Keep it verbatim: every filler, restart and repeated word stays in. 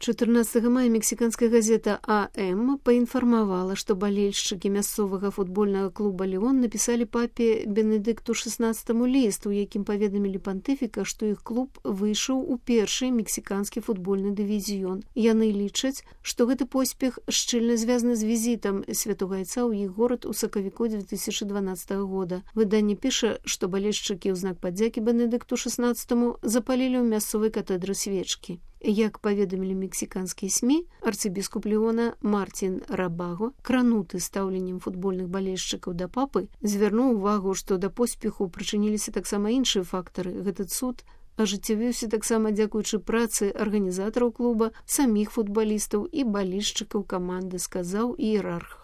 чатырнаццатага мая мексіканская газета АМ паінфармавала, што балельшчыкі мясцовага футбольнага клуба «Леон» напісалі папе Бенедыкту шаснаццатаму ліст, у якім паведамілі пантыфіка, што іх клуб выйшаў у першы мексіканскі футбольны дывізіён. Яны лічаць, што гэты поспех шчыльна звязаны з візітам святога айца ў іх горад у сакавіку дзве тысячы дванаццатага года. Выданне піша, што балельшчыкі ў знак падзякі Бенедыкту шаснаццатаму запалілі ў мясцовай катедры свечкі. Як паведамілі мексіканскія СМІ, арцыбіскуп Леона Мартін Рабаго, крануты стаўленнем футбольных балельшчыкаў да папы, звярнуў увагу, што да поспеху прычыніліся таксама іншыя фактары. Гэты цуд ажыццявіўся таксама дзякуючы працы арганізатараў клуба, саміх футбалістаў і балельшчыкаў каманды, сказаў іерарх.